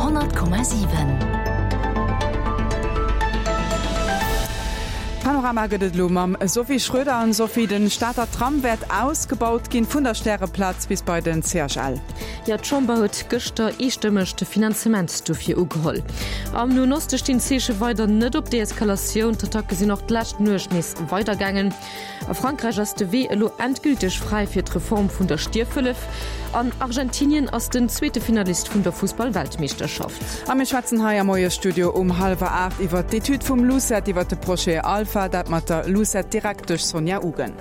100,7. Panorama gëtt et elo mam Sophie Schröder. An Sophie, den Stater Tram wäert ausgebaut ginn, vun der Stäreplaz bis bei den CHL. Jo, d'Chamber huet gëschter eestëmmeg de Finanzement dofir ugeholl. Am Noen Oste stinn d'Zeeche weider net op Deeskalatioun. D'Attacke sinn och d'lescht Nuecht nees weidergaangen. A Frankräich ass de Wee elo endgülteg fräi fir d'Reform vun der Stierfhëllef. An Argentinien ass den zweete Finalist vun der Fussball-Weltmeeschterschaft. A mir schwätzen hei am Moiesstudio um hallwer 8 iwwer d'Etüd vum LUCET iwwer de Projet Alpha, dat mat der LUCET-Direktesch Sonja Ugen.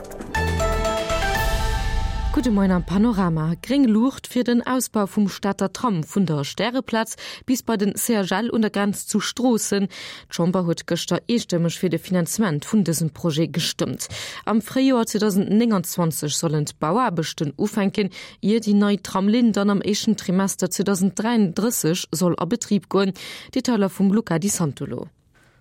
Gudde Moien am Panorama. Gréng Luucht fir den Ausbau vum Stater Tram vun der Stäreplaz bis bei den CHL un der Grenz zu Stroossen. D'Chamber huet gëschter eestëmmeg fir de Finanzement vun dësem Projet gestëmmt. Am Fréijoer 2029 sollen d'Bauaarbechten ufänken, ier déi nei Tramlinn dann am éischten Trimester 2033 soll a Betrib goen. Detailer vum Luca Di Santolo.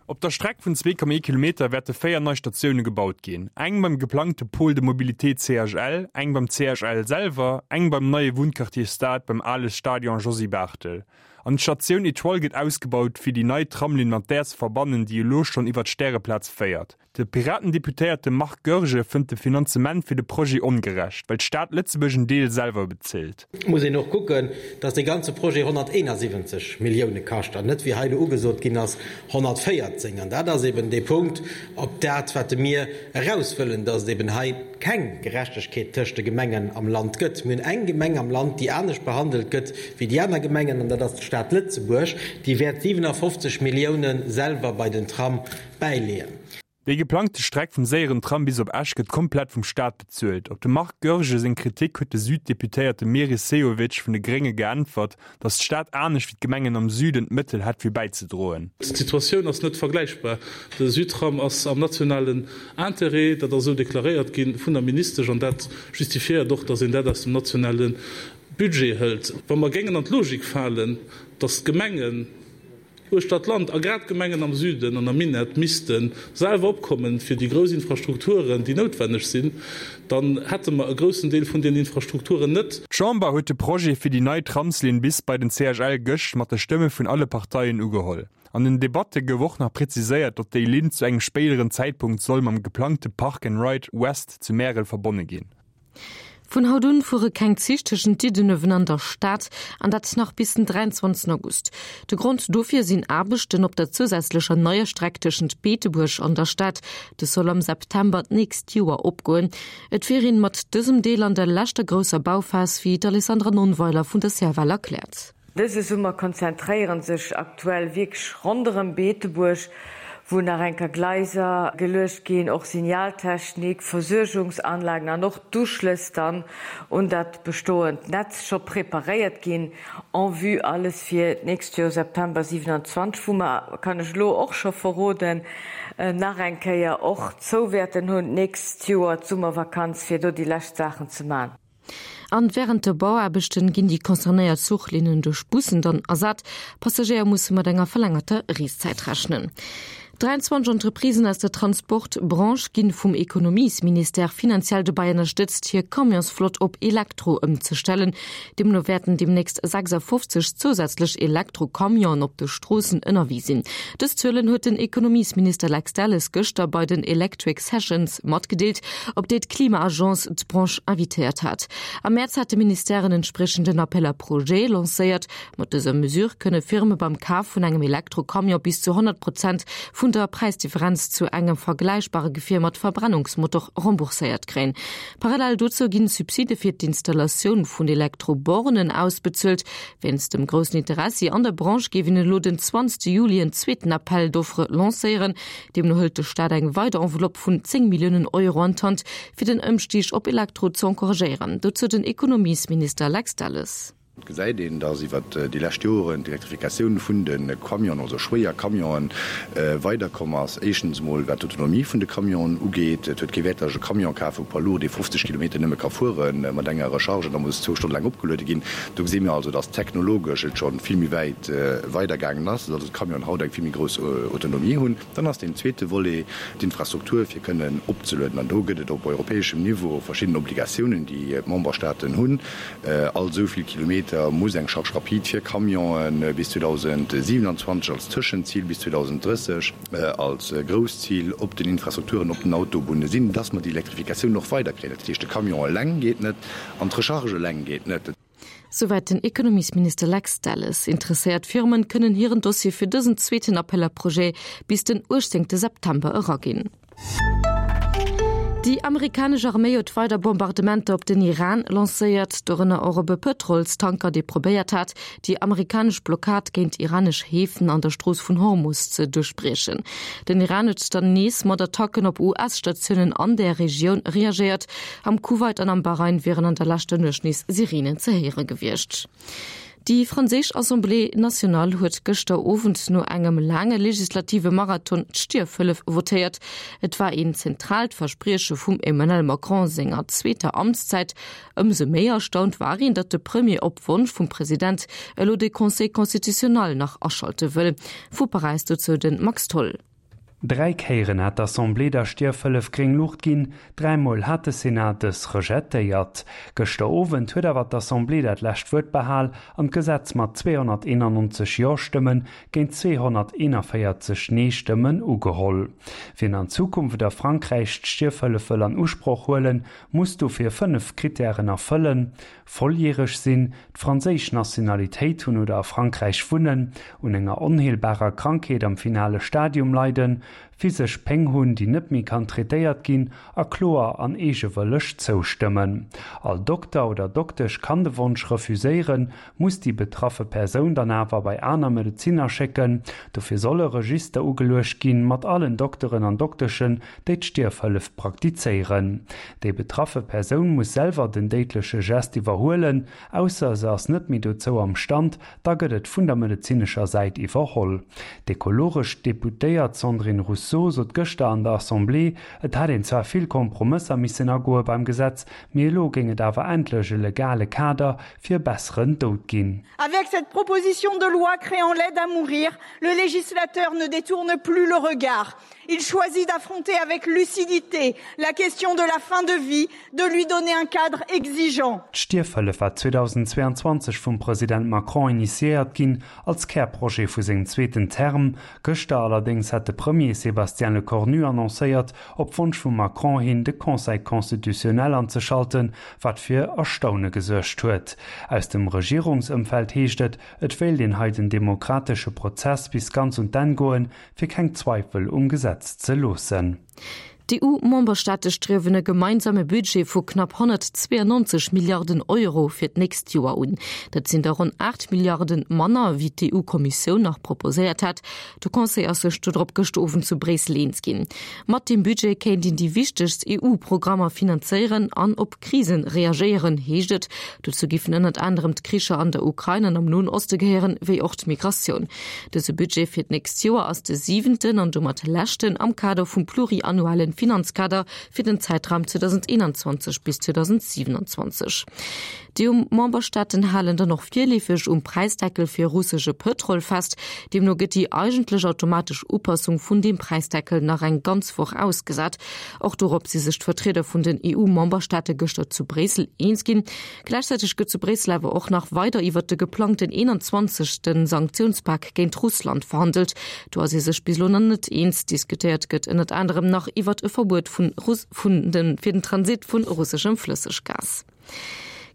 Op der Streck vun 2,1 Kilometer wäerte 4 nei Statioune gebaut ginn, eng beim geplangte Pôle de mobilité CHL, eng beim CHL selwer, eng beim neie Wunnquartier Stad beim ale Stadion Josy Barthel. An d'Statioun Etoile gëtt ausgebaut, fir déi nei Tramlinn mat där ze verbannen, déi elo schonn iwwer d'Stäreplaz féiert. De Piraten-Deputéierte Marc Goergen fënnt de Finanzement fir de Projet ongerecht, well d'Stad Lëtzebuerg en Deel selwer bezilt. Et muss een och kucken, datt dee ganze Projet 171 Millioune kascht an net, wéi hei elo ugesot ginn ass, 114. An dat ass eben dee Punkt, op dat wat mir eraus wëllen, datt et eben hei keng Gerechtegkeet tëscht de Gemengen am Land gëtt. Mir hunn eng Gemeng am Land, déi anescht behandelt gëtt wéi déi aner Gemengen, an dat ass d'Stad Lëtzebuerg. Déi wäert 57 Millioune selwer bei den Tram bäileeën. Déi geplangte Streck vum séieren Tram bis op Esch gëtt komplett vum Staat bezuelt. Op dem Marc Goergen seng Kritik huet de Süd-Deputéierte Meris Sehovic vun de Grénge geäntwert, datt d'Stad anescht wéi d'Gemengen am Süden d'Mëttel hätt fir bäizedroen. D'Situatioun ass net vergläichbar. De Südtram ass am nationalen Interêt, dat ass esou deklaréiert gi vun der Ministesch an dat justifiéiert och, datt een dat aus dem nationale Budget hëlt. Wa mer géingen an d'Logik falen, datt d'Gemengen uechter d'Land a grad d'Gemengen am Süden an am Minett misste selwer opkommen fir déi grouss Infrastrukturen, déi noutwenneg sinn, dann hätte mer e groussen Deel vun deenen Infrastrukturen net. D'Chamber huet de Projet fir déi nei Tramslinn bis bei den CHL gëscht mat de Stëmme vun alle Parteien ugeholl. An den Debatte gouf och nach präziséiert, datt déi Linn zu engem spéideren Zäitpunkt soll mam geplangte Park and Ride West zu Märel verbonne ginn. Vun haut un fuere keng Zich tëschent Diddenuewen an der Stad, an dat nach bis den 23 August. De Grond dofir sinn Aarbechten op der zousätzlecher neier Streck tëschent Beetebuerg an der Stad. Dës soll am September d'nächst Joer opgoen. Et wier een mat dësem Deel an der leschter grousser Bauphas, wéi d'Alessandra Nonnweiler vun der CFL erkläert. Dëse Summer konzentréieren sech aktuell wierklech ronderëm Beetebuerg, wou nach enker Gleiser geluecht ginn, och Signaltechnik, Versuergungsanlagen an och d'Uschlëss dann un dat bestoend Netz scho preparéiert ginn en vue alles fir d'nächst Joer September 27, wou mer, kann ech elo och scho verroden, nach eng Kéier och zou wäerten hunn d'nächst Joer d'Summervakanz, fir do déi lescht Saachen ze man. An wärend de Bauaarbechten ginn déi concernéiert Zuchlinnen duerch Bussen dann ersat. Passagéier musse mat enger verlängerter Reeszäit rechnen. 23 Entreprisen aus der Transportbranche ginn vum Ekonomiesministère finanziell dobäi ënnerstëtzt, hir Camionsflott op Elektro ëmzestellen. Deemno wäerten deemnächst 56 zousätzlech Elektro-Camionen op de Stroossen ënnerwee sinn. Dës Zuelen huet den Ekonomiesminister Lex Delles gëschter bei den Electric Sessions matgedeelt, op déi d'Klima-Agence d'Branche invitéiert hat. Am Mäerz hat de Ministère en entspriechenden Appel à projets lancéiert. Mat dëser Mesure kënne Firme beim Kaf vun engem Elektro-Camion bis zu 100 Prozent vun der Präisdifferenz zu engem vergläichbare Gefier mat Verbrennungsmotor rembourséiert kréien. Parallel dozou ginn Subside fir d'Installatioun vun Elektro-Bornen ausbezuelt. Wéinst dem groussen Interessi an der Branche géif een elo den 20 Juli en zweeten Appel d'offres lancéieren. Deemno hëlt de Staat eng weider Enveloppe vun 10 Milliounen Euro an d'Hand, fir den Ëmstig op Elektro ze encouragéieren. Dozou den Ekonomiesminister Lex Delles. Et gesäit een, datt iwwer déi lescht Joren d'Elektrifikatioun vun de Camionen, also schwéier Camionen, weiderkomm ass. Éischtens emol wat d'Autonomie vun de Camionen ugeet. Et huet kee Wäert, datt ech e Camion kafe vu Poids lourd, dee 50 Kilometer nëmme ka fuere mat enger Recharge an da muss zwou Stonne laang opgeluede ginn. Do gesi mir also, datt technologesch et scho vill méi wäit weidergaangen ass, datt also d'Camionen haut eng vill méi grouss Autonomie hunn. Dann ass deen zweete Volet d'Infrastruktur, fir kënnen opzelueden. An do gëtt et op europäeschem Niveau verschidden Obligatiounen, déi d'Memberstaaten hunn, all esou vill Kilometer. Kilometer muss eng Charge rapide fir Camionen bis 2027 als Tëschenzil, bis 2030 als grousst Zil op den Infrastrukturen, op den Autobunne sinn, dass mer déi Elektrifikatioun och weiderkréien. Dat heescht, de Camion eleng geet net an d'Recharge eleng geet net. Souwäit den Ekonomiesminister Lex Delles. Interesséiert Firmen kënnen hiren Dossier fir dësen zweeten Appel à projets bis den 18 September eraginn. Déi amerikanesch Arméi huet weider Bombardementer op den Iran lancéiert, dorënner och op e Pëtrolstanker, dee probéiert hat, déi amerikanesch Blockad géint iranesch Häfen an der Strooss vun Hormus ze duerchbriechen. Den Iran huet dann nees mat Attacken op US-Statiounen an där Regioun reagéiert. Am Kuwait an am Bahrain wieren an der leschter Nuecht nees Sireenen ze héiere gewiescht. Déi franséisch Assemblée nationale huet gëschter Owend no engem laange legislative Marathon d'Stierfhëllef votéiert. Et war een zentraalt Versprieche vum Emmanuel Macron senger zweeter Amtszäit. Ëmsou méi erstaunt war een, datt de Premier op Wonsch vum President elo de Conseil constitutionnel nach aschalte wëll. Vu Paräis dozou de Max Tholl. Dräi Kéieren hat d'Assemblée der Stierfhëllef gréng Luucht ginn, dräimol hat de Senat dës rejettéiert. Gëschter Owend huet awer d'Assemblée dat lescht Wuert behal an d'Gesetz mat 291 Jo-Stëmmen géint 241 Nee-Stëmmen ugeholl. Wien an Zukunft a Frankräich d'Stierfhëllef wëll an Usproch huelen, muss dofir 5 Krittären erfëllen, volljäreg sinn, d'franséisch Nationalitéit hunn oder a Frankräich wunnen, un enger onheelbarer Krankheet am finale Stadium leiden, physesch Péng hunn, déi net méi kann traitéiert ginn, a kloer an eegewëlleg zoustëmmen. All Dokter oder Doktesch kann de Wonsch refuséieren, muss déi betraffe Persoun dann awer bei aner Medezinner schécken. Dofir soll e Register ugeluecht ginn, mat allen Dokteren an Dokteschen, déi d'Stierfhëllef praktizéieren. Déi betraffe Persoun muss selwer den déidleche Gest iwwerhuelen, ausser se ass net méi dozou am Stand, da gëtt et vun der medezinescher Säit iwwerholl. D'ekologesch Deputéiert Sandrine Rousseau sot gëschter an der Assemblée, et hätt een zwar vill Kompromësser missen agoe beim Gesetz, mee elo géing et awer endlech e legale Kader fir e besseren Doud ginn. Avec cette proposition de loi créant l'aide à mourir, le législateur ne détourne plus le regard. Il choisit d'affronter avec lucidité la question de la fin de vie, de lui donner un cadre exigeant. D'Stierfhëllef war 2022 vum President Macron initiéiert ginn, als Kärprojet vu sengem zweeten Term. Gëschter allerdéngs hat de Premier Sébastien Lecornu annoncéiert, op Wonsch vum Macron hin de Conseil constitutionnel anzeschalten, wat fir Erstaune gesuergt huet. Aus dem Regierungsëmfeld heescht et, et wéilt een hei den demokratesche Prozess bis ganz un d'Enn goen, fir keng Zweifel um Gesetz ze loossen. D'EU-Memberstaate striewen e gemeinsame Budget vu knapp 192 Milliarden Euro fir d'nächst Joer un. Dat sinn der ronn 8 Milliarden manner, wéi d'EU-Kommissioun nach proposéiert hat. De Conseil ass sech dodrop gëschter Owend zu Bréissel eens ginn. Mat deem Budget kéint een déi wichtegst EU-Programmer finanzéieren an op Krisen reagéieren, heescht et. Dozou giffen ënnert anerem d'Kricher an der Ukrain an am Noen Oste gehéieren, wéi och d'Migratioun. Dëse Budget fir d'nächst Joer ass de siwenten an domat leschten am Kader vum pluriannuellen Finanzkader fir den Zäitraum 2021 bis 2027. D'EU-Memberstaaten halen dann och virleefeg um Präisdeckel fir russesche Pëtrol fest. Deemno gëtt déi eigentlech automatesch Upassung vun deem Präisdeckel nach eng ganz Woch ausgesat. Och dorop si sech d'Vertrieder vun den EU-Memberstaate gëschter zu Bréissel eens ginn. Gläichzäiteg gëtt zu Bréissel awer och nach weider iwwert de geplangten 21. Sanktiounspak géint Russland verhandelt. Do ass ee sech bis elo nach net eens. Diskutéiert gëtt ënnert anerem nach iwwert e Verbuet vun fir den Transit vun russeschem Flësseggas.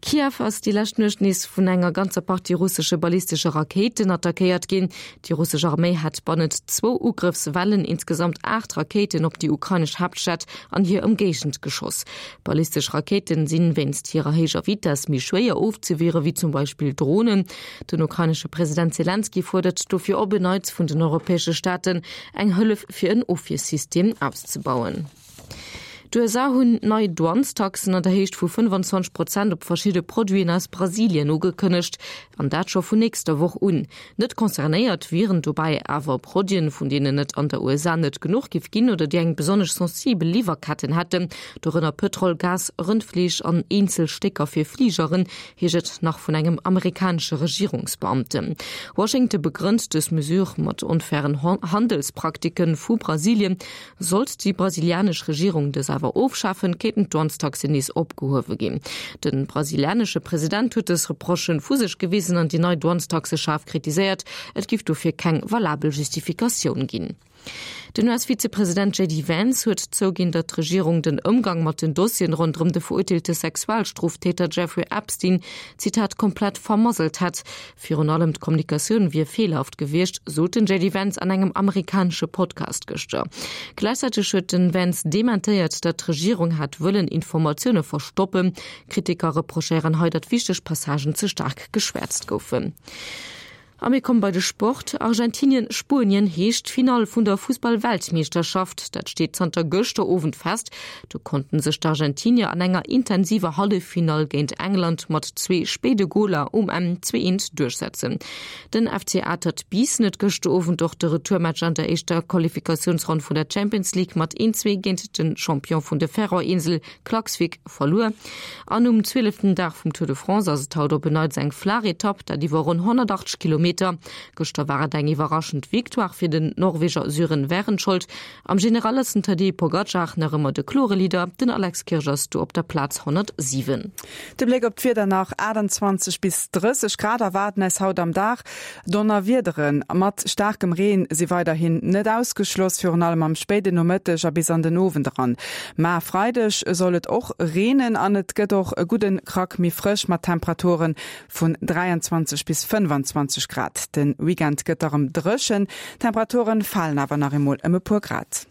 Kiew ass déi lescht Nuecht nees vun enger ganzer Partie russesche ballistesche Rakéiten attackéiert ginn. Déi russesch Arméi hätt bannent zwou Ugrëffswellen insgesamt 8 Rakéiten op déi ukrainesch Haaptstad an hir Ëmgéigend geschoss. Ballistesch Rakéiten sinn wéinst hirer héijer Vitess méi schwéier ofzewiere wéi zum Beispill Dronen. Den ukrainesche President Selenskyj fuerdert dofir op en Neits vun den europäesche Staaten eng Hëllef fir en Ofwiersystem auszebauen. D'USA hunn nei Douanestaxen an der Héicht vu 25 Prozent op verschidde Produiten aus Brasilien ugekënnegt, an dat scho vun nächster Woch un. Net concernéiert wieren dobäi awer Produiten, vun deenen et an der USA net genuch giff ginn oder déi eng besonnesch sensibel Liwwerketten hätten, dorënner Pëtrol, Gas, Rëndfleesch an eenzel Stécker fir Fligeren, heescht et nach vun engem amerikanesche Regierungsbeamten. Washington begrënnt dës Mesure mat onfairen Handelspraktike vu Brasilien. Sollt déi brasilianesch Regierung dës awer. awer ofschafen, kéinten d'Douanestaxen nees opgehuewe ginn. De brasilianesche President huet dës Reprochen vu sech gewisen an déi nei Douanestaxe schaarf kritiséiert. Et giff dofir keng valabel Justifikatioun ginn. Den US-Vizepresident JD Vance huet zouginn, datt d'Regierung den Ëmgang mat den Dossieren ronderëm de verurteelte Sexualstroftäter Jeffrey Epstein, Zitat, komplett vermasselt hätt. Virun allem d'Kommunikatioun wier feelhaft gewiescht, sot den JD Vance an engem amerikanesche Podcast gëschter. Gläichzäiteg huet den Vance dementéiert, datt d'Regierung hätt wëllen Informatioune verstoppen. Kritiker reprochéieren hei, datt wichteg Passagen ze staark geschwäerzt goufen. A mir komme bei de Sport. Argentinien-Spuenien heescht d'Finall vun der Fussball-Weltmeeschterschaft. Dat steet zanter gëschter Owend fest. Do konnten sech d'Argentinier an enger intensiver Halleffinall géint England mat zwee spéide Goler um Enn 2 Eent duerchsetzen. Den FC Atert Biissen huet gëschter Owend och de Retourmatch an der éischter Qualifikatiounsronn vun der Champions League mat 1 2 géint de Champion vun de Färöer-Insel Klaksvik verluer. An um zwieleften Dag vum Tour de France ass et haut op en Neits eng flaach Etapp, dat iwwer ronn 180 Kilometer. Gëschter war et eng iwwerraschend Victoire fir den Norweger Sören Wærenskjold. Am General ass den Tadej Pogacar nach ëmmer de klore Leader, den Alex Kirsch ass do op der Plaz 107. De Bléck op d'Wieder nach, 28 bis 30 Grad erwaarden eis haut am Dag. Donnerwiedere mat staarkem Reen si weiderhin net ausgeschloss, virun allem am spéiden Nomëtteg a bis an den Owend eran. Ma e Freideg soll et och reenen an et gëtt och e gudde Krack méi frësch mat Temperature vun 23 bis 25 Grad. De Weekend gëtt da rem dréchen, d'Temperaturen falen awer nach eemol ëm e puer Grad.